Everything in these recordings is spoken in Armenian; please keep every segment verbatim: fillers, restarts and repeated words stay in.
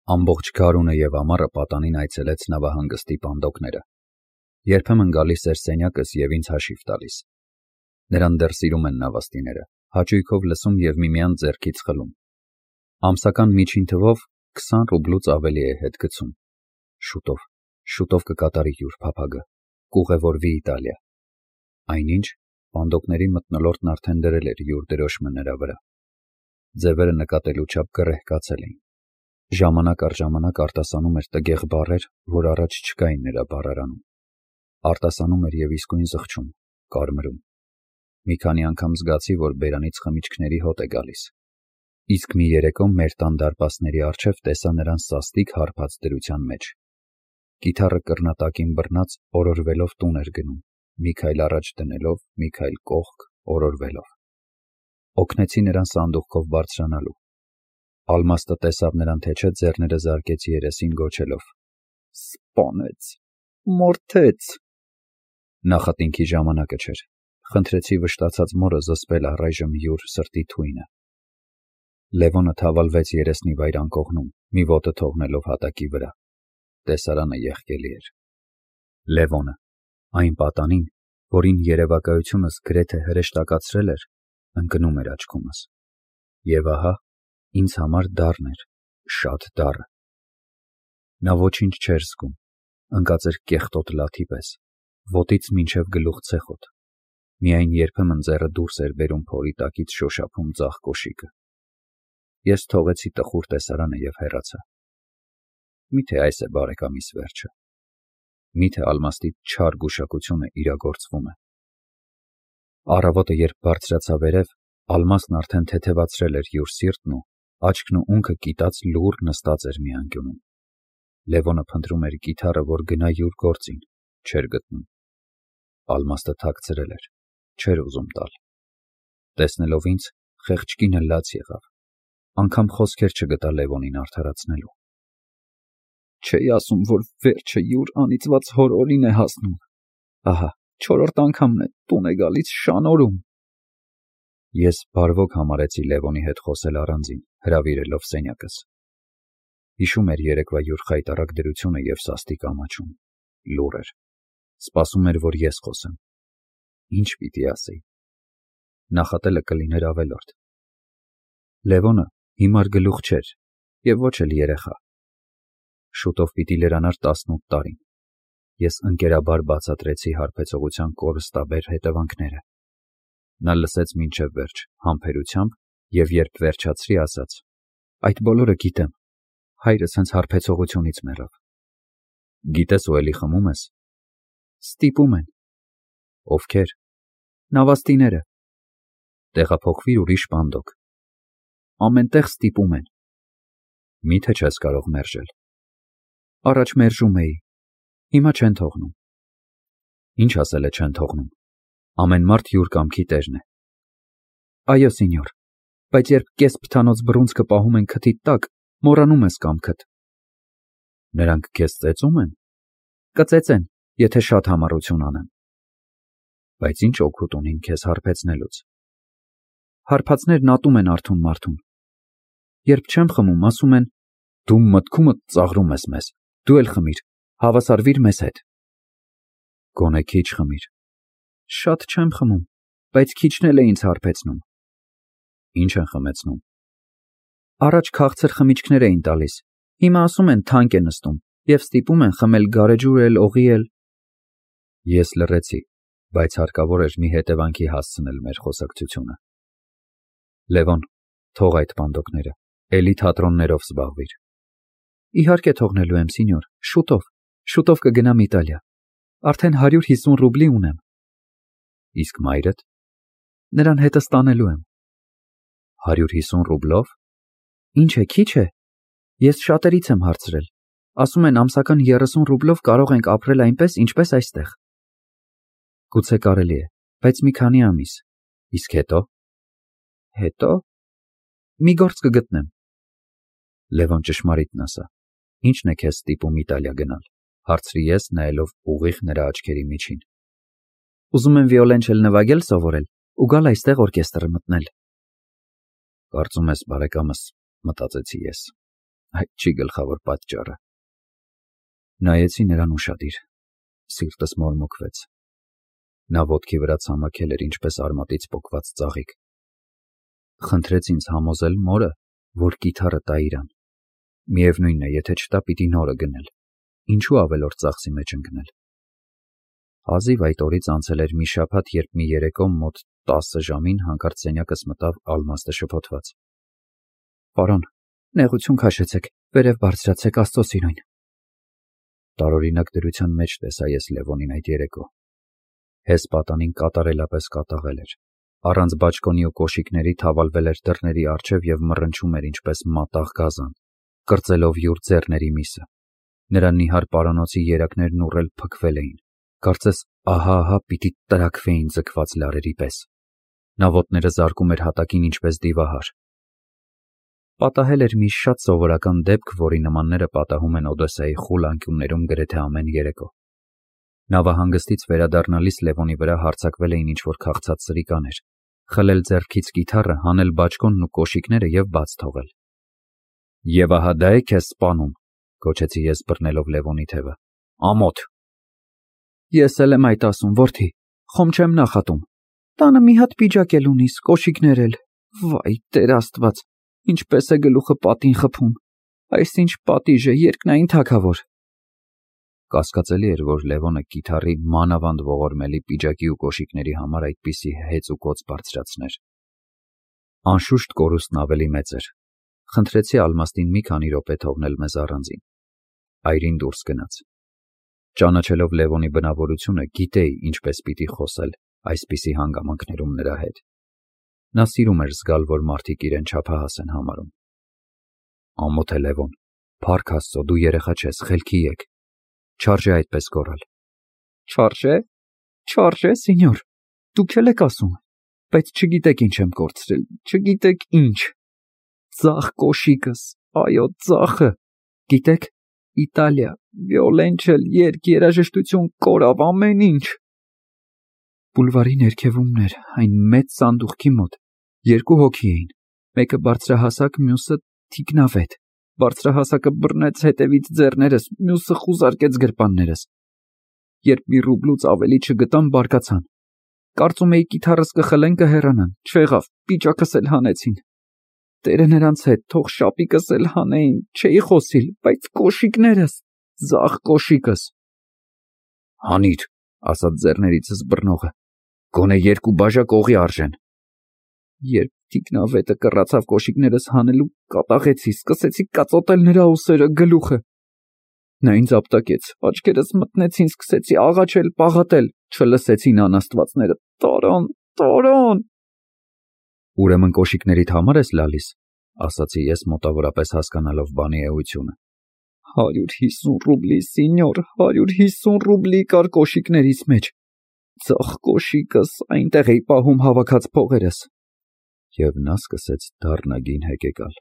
Ամբողջ գարունը և ամառը պատանին այցելեց նավահանգստի պանդոկները։ Երբեմն գալիս էր սենյակս և ինձ հաշիվ տալիս։ Նրան դեռ սիրում են նավաստիները, հաճույքով լսում և միմյանց ձեռքից խլում։ Ամսական միջին թվով քսան ռուբլուց ավելի է հետ գցում։ Շուտով, շուտով կկատարի յուր փափագը, կուղևորվի Իտալիա։ Այնինչ, պանդոկների մթնոլորտն արդեն դրել էր յուր դրոշմը նրա վրա։ Ձևերը նկատելու չափ կռեհկացել էին։ Ժամանակ առ ժամանակ արտասանում էր տգեղ բառեր, որ առաջ չկային նրա բառարանում։ Արտասանում էր և իսկույն զղջում, կարմրում։ Մի քանի անգամ զգացի, որ բերանից խմիչքների հոտ է գալիս։ Իսկ մի երեկո մեր տան դարպասների առջև տեսա նրան սաստիկ հարբած դրության մեջ։ Կիթառը կռնատակին բռնած օրորվելով տուն էր գնում, մի քայլ առաջ դնելով, մի քայլ կողք, օրորվելով։ Օգնեցի նրան սանդուղքով բարձրանալու։ Ալմաստը տեսավ նրան թե չէ, ձեռները զարկեց երեսին, գոչելով. «Սպանեց, մորթեց»։ Նախատինքի ժամանակը չէր։ Խնդրեցի վշտացած մորը զսպել առայժմ յուր սրտի թույնը։ Լևոնը թավալվեց երեսնի վայր անկողնում, մի ոտը թողնելով հատակի վրա։ Տեսարանը եղկելի էր։ Լևոնը, այն պատանին, որին երևակայությունս գրեթե հրեշտակացրել էր, ընկնում էր աչքումս։ Եվ ահա, ինձ համար դառն էր, շատ դառը։ Նա ոչինչ չէր զգում, ընկած էր կեղտոտ լաթի պես, ոտից մինչև գլուխ ցեխոտ։ Միայն երբեմն ձեռը դուրս էր բերում փորի տակից շոշափում ձախ կոշիկը։ Ես թողեցի տխուր տեսարանը և հեռացա։ Միթե այս է բարեկամիս վերջը։ Միթե Ալմաստի չար գուշակությունը իրագործվում է։ Առավոտը, երբ բարձրացա վերև, Ալմաստն արդեն թեթևացրել էր յուր սիրտն ու աչքն ու ունքը կիտած լուռ նստած էր մի անկյունում։ Լևոնը փնտրում էր կիթառը, որ գնա յուր գործին, չէր գտնում։ Ալմաստը թաքցրել էր, չէր ուզում տալ։ Տեսնելով ինձ, խեղճ կինը լաց եղավ, անգամ խոսքեր չգտա Լևոնին արդարացնելու։ Չէի ասում, որ վերջը յուր անիծված հոր օրին է հասնում։ Ահա, չորրորդ անգամն է տուն է գալիս շանորում։ Ես բարվոք համարեցի Լևոնի հետ խոսել առանձին, հրավիրելով սենյակս։ Հիշում էր երեկվա յուր խայտառակ դրությունը և սաստիկ ամաչում։ Լուռ էր։ Սպասում էր, որ ես խոսեմ։ Ինչ պիտի ասեի։ Նախատելը կլիներ ավելորդ։ Լևոնը հիմար գլուխ չէր և ոչ էլ երեխա։ Շուտով պիտի լրանար տասնութ տարին։ Ես ընկերաբար բացատրեցի հարբեցողության կորստաբեր հետևանքները։ Նա լսեց մինչև վերջ, համբերությամբ, և երբ վերջացրի, ասաց. «Այդ բոլորը գիտեմ, հայրս հենց հարբեցողությունից մեռավ»։ Գիտես ու էլի խմում ես։ Ստիպում են։ Ովքեր։ Նավաստիները։ Տեղափոխվիր ուրիշ պանդոկ։ Ամեն տեղ ստիպում են։ Միթե չես կարող մերժել։ Առաջ մերժում էի, հիմա չեն թողնում։ Ինչ ասել է չեն թողնում։ Ամեն մարդ յուր կամքի տերն է։ Այո, սենյոր, բայց երբ կես փթանոց բռունցքը պահում են քթիդ տակ, մոռանում ես կամքդ։ Նրանք քեզ ծեծում են։ Կծեծեն, եթե շատ համառություն անեմ։ Բայց ինչ օգուտ ունին քեզ հարբեցնելուց։ Հարբածներն ատում են արթուն մարդուն։ Երբ չեմ խմում, ասում են. «Դու մտքումդ ծաղրում ես մեզ, դու էլ խմիր, հավասարվիր մեզ հետ»։ Գոնե քիչ խմիր։ Շատ չեմ խմում, բայց քիչն էլ է ինձ հարբեցնում։ Ինչ են խմեցնում։ Առաջ քաղցր խմիչքներ էին տալիս, հիմա ասում են թանկ է նստում և ստիպում են խմել գարեջուր էլ, օղի էլ։ Ես լռեցի, բայց հարկավոր էր մի հետևանքի հասցնել մեր խոսակցությունը։ Լևոն, թող այդ պանդոկները, էլի թատրոններով զբաղվիր։ Իհարկե թողնելու եմ, սենյոր, շուտով, շուտով կգնամ Իտալիա։ Արդեն հարյուր հիսուն ռուբլի ունեմ։ Իսկ մայրդ։ Նրան հետս տանելու եմ։ Հարյուր հիսուն ռուբլով։ Ինչ է, քիչ է։ Ես շատերից եմ հարցրել։ Ասում են ամսական երեսուն ռուբլով կարող ենք ապրել այնպես, ինչպես այստեղ։ Գուցե կարելի է, բայց մի քանի ամիս։ Իսկ հետո։ Հետո։ Մի գործ կգտնեմ։ Լևոն ճշմարիտն ասա։ Ինչն է քեզ ստիպում Իտալիա գնալ, հարցրի ես, նայելով ուղիղ նրա աչքերի միջին։ Ուզում եմ վիոլենչել նվագել սովորել ու գալ այստեղ օրկեստրը մտնել։ Կարծում ես, բարեկամս, մտածեցի ես։ այդ չի գլխավոր պատճառը։ Նայեցի նրան ուշադիր, սիրտս մորմոքվեց։ Նա ոտքի վրա ցամաքել էր ինչպես արմատից պոկված ծաղիկ։ Խնդրեց ինձ համոզել մորը, որ կիթառը տա իրան։ Միևնույնն է, եթե չտա, պիտի նորը գնել, ինչու ավելորդ ծախսի մեջ ընկնել։ Հազիվ այդ օրից անցել էր մի շաբաթ, երբ մի երեկո մոտ տասը ժամին հանկարծ սենյակս մտավ Ալմաստը շփոթված։ Պարոն, նեղություն քաշեցեք, վերև բարձրացեք, Աստծո սիրուն։ Տարօրինակ դրության մեջ տեսա ես Լևոնին այդ երեկո։ Հես պատանին կատարելապես կատաղել էր, առանց բաճկոնի ու կոշիկների թավալվել էր դռների առջև և մռնչում էր ինչպես մատաղ գազան, կրծելով յուր ձեռների միսը։ Նրա նիհար պարանոցի երակներն ուռել փքվել էին, կարծես ահա-ահա պիտի տրաքվեին ձգված լարերի պես։ Նա ոտները զարկում էր հատակին ինչպես դիվահար։ Պատահել էր մի շատ սովորական դեպք, որի նմանները պատահում են Օդեսայի խուլ անկյուններում գրեթե ամեն երեկո։ Նավահանգստից վերադառնալիս Լևոնի վրա հարձակվել էին ինչ-որ քաղցած սրիկաներ, խլել ձեռքից կիթառը, հանել բաճկոնն ու կոշիկները և բաց թողել։ Եվ ահա դա է քեզ սպանում, գոչեցի ես բռնելով Լևոնի թևը։ Ամոթ։ Ես էլ եմ այդ ասում, որդի, խոմ չեմ նախատում։ Տանը մի հատ պիջակ էլ ունիս, կոշիկներ էլ։ Վայ, Տեր Աստված, ինչպես է գլուխը պատին խփում։ Այս ինչ պատիժ է, երկնային թագավոր։ Կասկածելի էր, որ Լևոնը կիթառի մանավանդ ողորմելի պիջակի ու կոշիկների համար այդպիսի հեծ ու կոծ բարձրացներ։ Անշուշտ կորուստն ավելի մեծ էր։ Խնդրեցի Ալմաստին մի քանի րոպե թողնել մեզ առանձին։ Այրին դուրս գնաց։ Ճանաչելով Լևոնի բնավորությունը, գիտեի ինչպես պիտի խոսել այսպիսի հանգամանքներում նրա հետ։ Նա սիրում էր զգալ, որ մարդիկ իրեն չափահաս են համարում։ Ամոթ է Լևոն, փառք Աստծո, դու երեխա չես, խելքի եկ։ Չարժե այդպես գոռալ։ Չարժե։ Չարժե, սենյոր։ Դուք էլ եք ասում, բայց չգիտեք ինչ եմ կորցրել, չգիտեք ինչ։ Ձախ կոշիկս, այո, ձախը։ Գիտեք, Իտալիա, վիոլենչել, երգ, երաժշտություն, կորավ ամեն ինչ։ Բուլվարի ներքևումներ, այն մեծ սանդուղքի մոտ, երկու հոգի էին, մեկը բարձրահասակ, մյուսը թիկնավետ։ Բարձրահասակը բռնեց հետևից ձեռներս, մյուսը խուզարկեց գրպաններս։ Երբ մի ռուբլուց ավելի չգտան, բարկացան։ Կարծում էի կիթառս կխլեն, կհեռանան, չեղավ, պիճակս էլ հանեցին։ Տերը նրանց հետ, թող շապիկս էլ հանեին, չէի խոսիլ, բայց կոշիկներս, ձախ կոշիկս։ Հանիր, ասաց ձեռներիցս բռնողը, գոնե երկու բաժակ օղի արժեն։ Երբ թիկնավետը կռացավ կոշիկներս հանելու, կատաղեցի, սկսեցի կածոտել նրա ուսերը, գլուխը։ Նա ինձ ապտակեց, աչքերս մտնեցին, սկսեցի աղաչել, պաղատել, չլսեցին անաստվածները, Տորոն, Տորոն։ Ուրեմն կոշիկներիդ համար ես լալիս, ասացի ես մոտավորապես հասկանալով բանի էությունը։ Հարյուր հիսուն ռուբլի, սենյոր, հարյուր հիսուն ռուբլի կար կոշիկներիս մեջ։ Ձախ կոշիկս, այնտեղ էի պահում հավաքած փողերս։ Եվ նա սկսեց դառնագին հեկեկալ։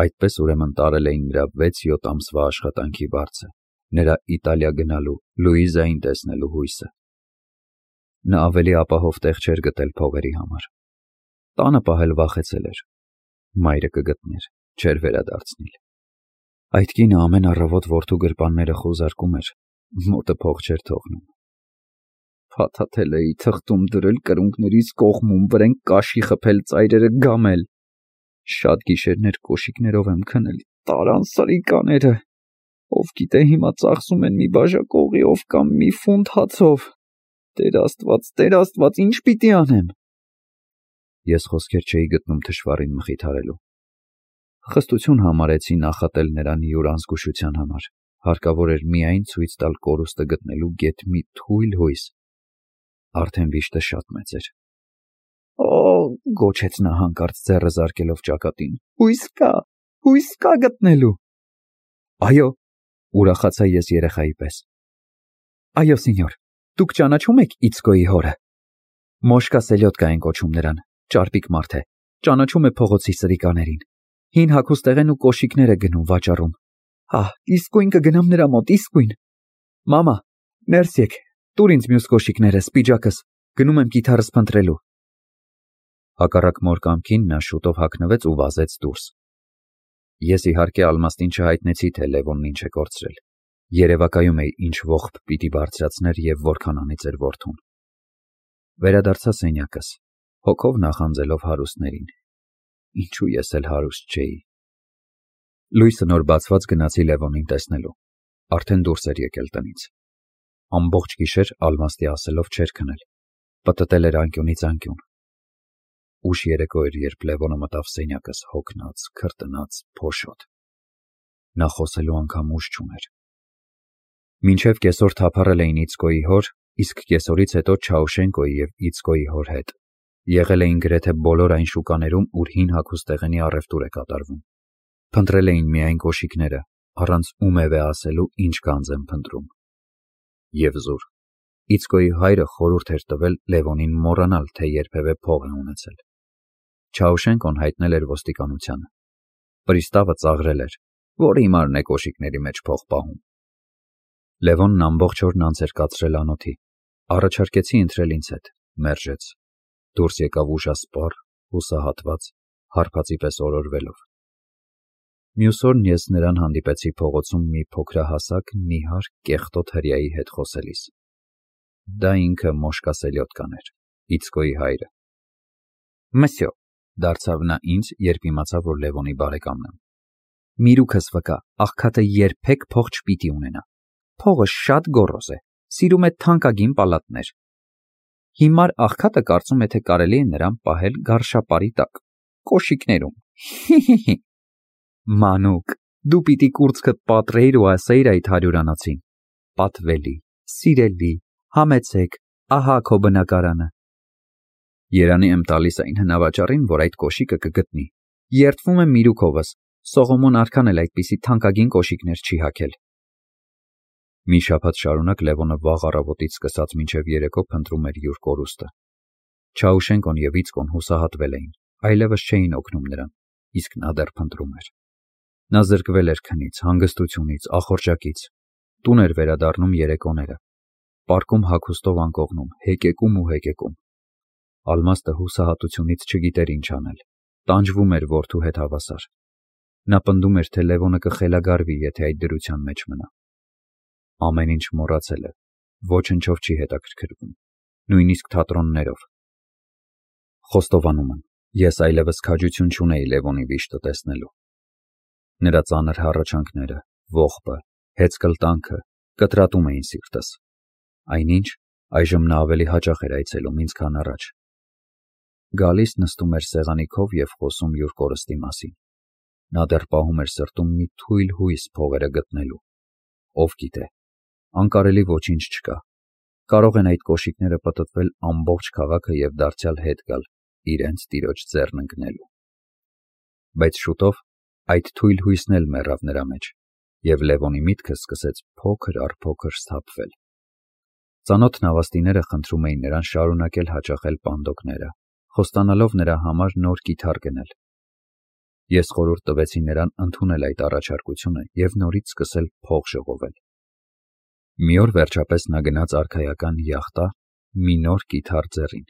Այդպես ուրեմն տարել էին նրա վեց-յոթ ամսվա աշխատանքի վարձը, նրա Իտալիա գնալու, Լուիզային տեսնելու հույսը։ Նա ավելի ապահով տեղ չէր գտել փողերի համար։ Տանը պահել վախեցել էր։ Մայրը կգտներ, չէր վերադարձնիլ։ Այդ կինը ամեն առավոտ որդու գրպանները խուզարկում էր, մոտը փող չէր թողնում։ Փաթաթել էի, թղթում դրել, կրունկներիս կողմում, վրեն կաշի խփել, ծայրերը գամել։ Շատ գիշերներ կոշիկներով եմ քնել, տարան սրիկաները։ Ով գիտե հիմա ծախսում են մի բաժակ օղիով կամ մի ֆունտ հացով։ Տեր Աստված, Տեր Աստված, ինչ պիտի անեմ։ Ես խոսքեր չէի գտնում թշվառին մխիթարելու։ Խստություն համարեցի նախատել նրան յուր անզգուշության համար։ Հարկավոր էր միայն ցույց տալ կորուստը գտնելու գեթ մի թույլ հույս։ Արդեն վիշտը շատ մեծ էր։ Օ, գոչեց նա հանկարծ ձեռը զարկելով ճակատին։ Հույս կա, հույս կա գտնելու։ Այո, ուրախացա ես երեխայի պես։ Այո, սենյոր, դուք ճանաչում եք Իցկոյի հորը։ Մոշկա Սելյոդկա են կոչում նրան, ճարպիկ մարդ է, ճանաչում է փողոցի սրիկաներին։ Հին հագուստեղ են ու կոշիկներ է գնում վաճառում։ Հա, իսկույն կգնամ նրա մոտ, իսկույն։ Մամա, ներս եկ, տուր ինձ մյուս կոշիկներս, պիջակս, գնում եմ կիթառս փնտրելու։ Հակառակ մոր կամքին նա շուտով հագնվեց ու վազեց դուրս։ Ես իհարկե Ալմաստին չհայտնեցի, թե Լևոնն ինչ է կորցրել։ Երևակայում էի ինչ ողբ պիտի բարձրացներ և որքան անիծեր որդուն։ Վերադարձա սենյակս, հոգով նախանձելով հարուստներին։ Ինչու ես էլ հարուստ չէի։ Լույսը նոր բացված գնացի Լևոնին տեսնելու։ Արդեն դուրս էր եկել տնից։ Ամբողջ գիշեր Ալմաստի ասելով չէր քնել, պտտել էր անկյունից անկյուն։ Ուշ երեկո էր, երբ Լևոնը մտավ սենյակս, հոգնած, քրտնած, փոշոտ։ Նա խոսելու անգամ ուժ չուներ։ Մինչև կեսօր թափառել էին Իցկոյի հոր, իսկ կեսօրից հետո Չաուշենկոյի և Իցկոյի հոր հետ։ Եղել էին գրեթե բոլոր այն շուկաներում, ուր հին հագուստեղենի առևտուր է կատարվում։ Փնտրել էին միայն կոշիկները, առանց ում է ասելու ինչ գանձ են փնտրում։ Եվ զուր, Իցկոյի հայրը խորհուրդ էր տվել Լևոնին մոռանալ, թե երբևէ փող է ունեցել։ Չաուշենկոն հայտնել էր ոստիկանությանը։ Պրիստավը ծաղրել էր, որը իմարն է կոշիկների մեջ փող պահում։ Լևոնն ամբողջ օրն անց էր կացրել անոթի։ Առաջարկեցի ընտրել ինձ հետ, մերժեց։ Դուրս եկավ ուժասպառ, հուսահատված, հարբածի պես օրորվելով։ Մյուս օրն ես նրան հանդիպեցի փողոցում մի փոքրահասակ, նիհար, կեղտոտ հրեայի հետ խոսելիս։ Դա ինքը Մոշկա Սելյոտկան էր, Իցկոյի հայրը։ Մսյո, դարձավ նա ինձ, երբ իմացավ, որ Լևոնի բարեկամն եմ։ Միրուքս վկա, աղքատը երբեք փող չպիտի ունենա։ Փողը շատ գոռոզ է, սիրում է թանկագին պալատներ։ Հիմար աղքատը կարծում է, թե կարելի է նրան պահել գարշապարի տակ, կոշիկներում։ Հի՛հի՛հի։ Մանուկ, դու պիտի կուրծքդ պատռեիր ու ասեիր այդ հարյուրանոցին. պատվելի, սիրելի, համեցեք, ահա քո բնակարանը։ Երանի եմ տալիս այն հնավաճառին, որ այդ կոշիկը կգտնի։ Երդվում եմ միրուքովս, Սողոմոն արքան էլ այդպիսի թանկագին կոշիկներ չի հագել։ Մի շաբաթ շարունակ Լևոնը վաղ առավոտից սկսած մինչև երեկո փնտրում էր յուր կորուստը։ Չաուշենկոն և Իցկոն հուսահատվել էին, այլևս չէին օգնում նրան, իսկ նա դեռ փնտրում էր։ Նա զրկվել էր քնից, հանգստությունից, ախորժակից, տուն էր վերադառնում երեկոները, պարկում հագուստով անկողնում, հեկեկում ու հեկեկում։ Ալմաստը հուսահատությունից չգիտեր ինչ անել, տանջվում էր որդու հետ հավասար։ Նա պնդում էր, թե Լևոնը կխելագարվի, եթե այդ դրության մեջ մնա։ Ամեն ինչ մոռացել է, ոչնչով չի հետաքրքրվում, նույնիսկ թատրոններով։ Խոստովանում եմ, ես այլևս քաջություն չունեի Լևոնի վիշտը տեսնելու։ Նրա ծանր հառաչանքները, ողբը, հեծկլտանքը կտրատում էին սիրտս։ Այնինչ, այժմ նա ավելի հաճախ էր այցելում ինձ, քան առաջ։ Գալիս նստում էր սեղանի քով և խոսում յուր կորստի մասին։ Նա դեռ պահում էր սրտում մի թույլ հույս փողերը գտնելու։ Ով գիտե, անկարելի ոչինչ չկա։ Կարող են այդ կոշիկները պտտվել ամբողջ քաղաքը և դարձյալ հետ գալ իրենց տիրոջ ձեռն ընկնելու։ Բայց շուտով այդ թույլ հույսն էլ մեռավ նրա մեջ, և Լևոնի միտքը սկսեց փոքր առ փոքր սթափվել։ Ծանոթ նավաստիները խնդրում էին նրան շարունակել հաճախել պանդոկները, խոստանալով նրա համար նոր կիթառ գնել։ Ես խորհուրդ տվեցի նրան ընդունել այդ առաջարկությունը և նորից սկսել փող ժողովել։ Մի օր վերջապես նա գնաց արքայական յախտա մի նոր կիթառ ձեռին։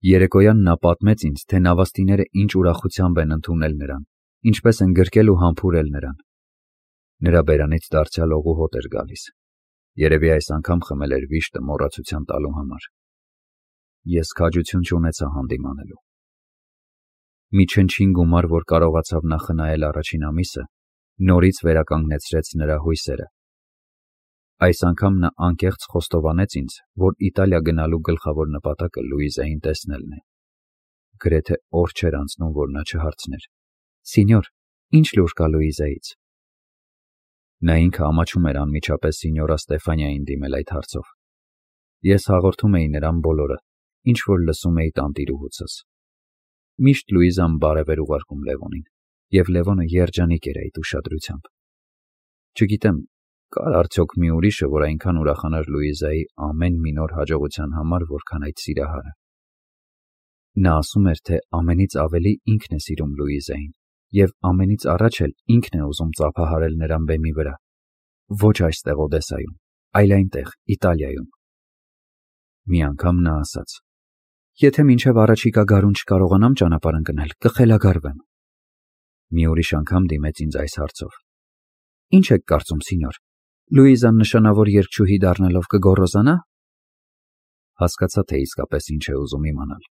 Երեկոյան նա պատմեց ինձ, թե նավաստիները ինչ ուրախությամբ են ընդունել նրան, ինչպես են գրկել ու համբուրել նրան։ Նրա բերանից դարձյալ օղուհոտ էր գալիս։ Երևի այս անգամ խմել էր վիշտը մոռացության տալու համար։ Ես քաջություն չունեցա հանդիմանելու։ Մի չնչին գումար, որ կարողացավ նա խնայել առաջին ամիսը, նորից վերականգնեցրեց նրա հույսերը։ Այս անգամ նա անկեղծ խոստովանեց ինձ, որ Իտալիա գնալու գլխավոր նպատակը Լուիզային տեսնելն է։ Գրեթե օր չէր անցնում, որ նա չհարցներ. Սինյոր, ինչ լուր կա Լուիզայից։ Նա ինքը ամաչում էր անմիջապես սինյորա Ստեֆանիային դիմել այդ հարցով։ Ես հաղորդում էի նրան բոլորը, ինչ որ լսում էի տանտիրուհուցս։ Միշտ Լուիզան բարև էր ուղարկում Լևոնին, և Լևոնը երջանիկ էր այդ ուշադրությամբ։ Չգիտեմ, կար արդյոք մի ուրիշը, որ այնքան ուրախանար Լուիզայի ամեն մի նոր հաջողության համար, որքան այդ սիրահարը։ Նա ասում էր, թե ամենից ավելի ինքն է սիրում Լուիզային, և ամենից առաջ էլ ինքն է ուզում ծափահարել նրան բեմի վրա։ Ոչ այստեղ Օդեսայում, այլ այնտեղ, Իտալիայում։ Մի անգամ նա ասաց. Եթե մինչև առաջիկա գարուն չկարողանամ ճանապարհ ընկնել, կխելագարվեմ։ Մի ուրիշ անգամ դիմեց ինձ այս հարցով. Ինչ եք կարծում, սինյոր, Լուիզան նշանավոր երգչուհի դառնալով կգոռոզանա։ Հասկացա, թե իսկապես ինչ է ուզում իմանալ։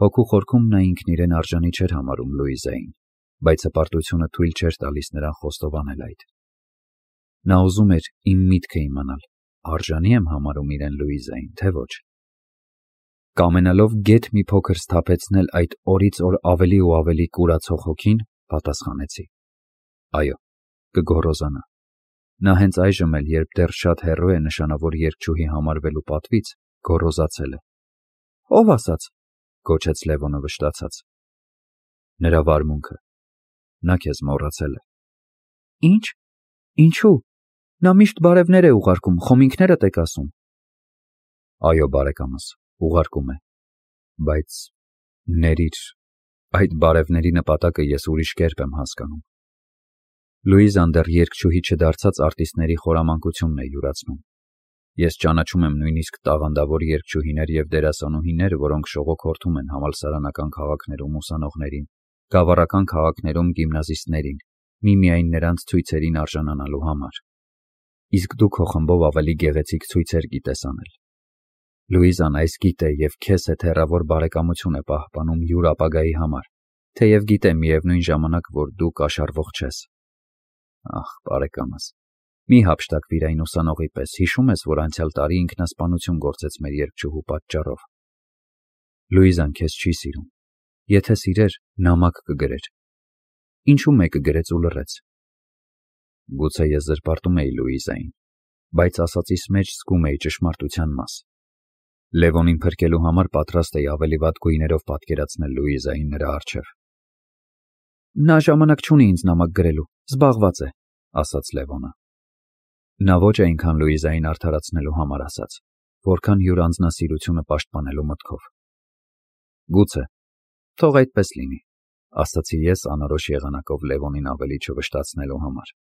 Հոգու խորքում նա ինքն իրեն արժանի չէր համարում Լուիզային, բայց հպարտությունը թույլ չէր տալիս նրան խոստովանել այդ։ Նա ուզում էր իմ միտքը իմանալ, արժանի եմ համարում իրեն Լուիզային, թե ոչ։ Կամենալով գեթ մի փոքր սթափեցնել այդ օրից օր ավելի ու ավելի կուրացող հոգին, պատասխանեցի. Այո, կգոռոզանա։ Նա հենց այժմ էլ, երբ դեռ շատ հեռու է նշանավոր երգչուհի համարվելու պատվից, գոռոզացել է։ Ո՞վ ասաց, գոչեց Լևոնը վշտացած։ Նրա վարմունքը։ Նա քեզ մոռացել է։ Ինչ։ Ինչու։ Նա միշտ բարևներ է ուղարկում, խոմինքներդ եք ասում։ Այո, բարեկամս, ուղարկում է, բայց ներիր, այդ բարևների նպատակը ես ուրիշ կերպ եմ հասկանում։ Լուիզան դեռ երգչուհի չդարձած արտիստների խորամանկությունն է յուրացնում։ Ես ճանաչում եմ նույնիսկ տաղանդավոր երգչուհիներ և դերասանուհիներ, որոնք շողոքորթում են համալսարանական քաղաքներում ուսանողներին, գավառական քաղաքներում գիմնազիստներին, միմիայն նրանց ցույցերին արժանանալու համար։ Իսկ դու քո խմբով ավելի գեղեցիկ ցույցեր գիտես անել։ Լուիզան այս գիտե և քեզ հետ հեռավոր բարեկամություն է պահպանում յուր ապագայի համար, թեև գիտե միևնույն ժամանակ, որ դու կաշառվող չես։ Ախ, բարեկամս, մի հափշտակվիր այն ուսանողի պես, հիշում ես, որ անցյալ տարի ինքնասպանություն գործեց մեր երգչուհու պատճառով։ Լուիզան քեզ չի սիրում։ Եթե սիրեր, նամակ կգրեր։ Ինչու մեկը գրեց ու լռեց։ Գուցե ես զրպարտում էի Լուիզային, բայց ասածիս մեջ զգում էի ճշմարտության մաս։ Լևոնին փրկելու համար պատրաստ էի ավելի վատ գույներով պատկերացնել Լուիզային նրա առջև։ Նա ժամանակ չունի ինձ նամակ գրելու, զբաղված է, ասաց Լևոնը։ Նա ոչ այնքան Լուիզային արդարացնելու համար ասաց, որքան յուր անձնասիրությունը պաշտպանելու մտքով։ Գուցե, թող այդպես լինի, ասացի ես անորոշ եղանակով Լևոնին ավելի չվշտացնելու համար։